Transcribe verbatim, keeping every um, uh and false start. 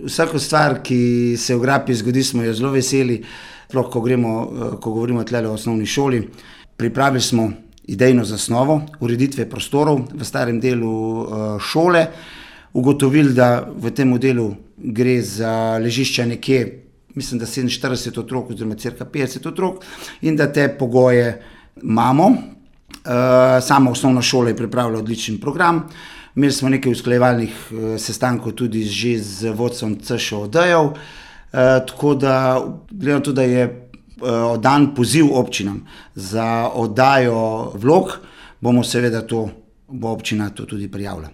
vsako stvar, ki se v Grapi zgodi, smo jo zelo veseli, sploh ko gremo, ko govorimo tlele o osnovni šoli. Pripravili smo idejno zasnovo ureditve prostorov v starem delu šole, ugotovili, da v tem delu gre za ležišča nekje, mislim, da sedeminštirideset otrok oziroma cirka petdeset otrok in da te pogoje imamo. Sama osnovna šola je pripravila odličen program. Imeli smo nekaj usklajevalnih sestankov tudi že z vodstvom C Š O D-jev, tako da gledam tudi, da je oddan poziv občinam za oddajo vlog, bomo seveda to, bo občina to tudi prijavila.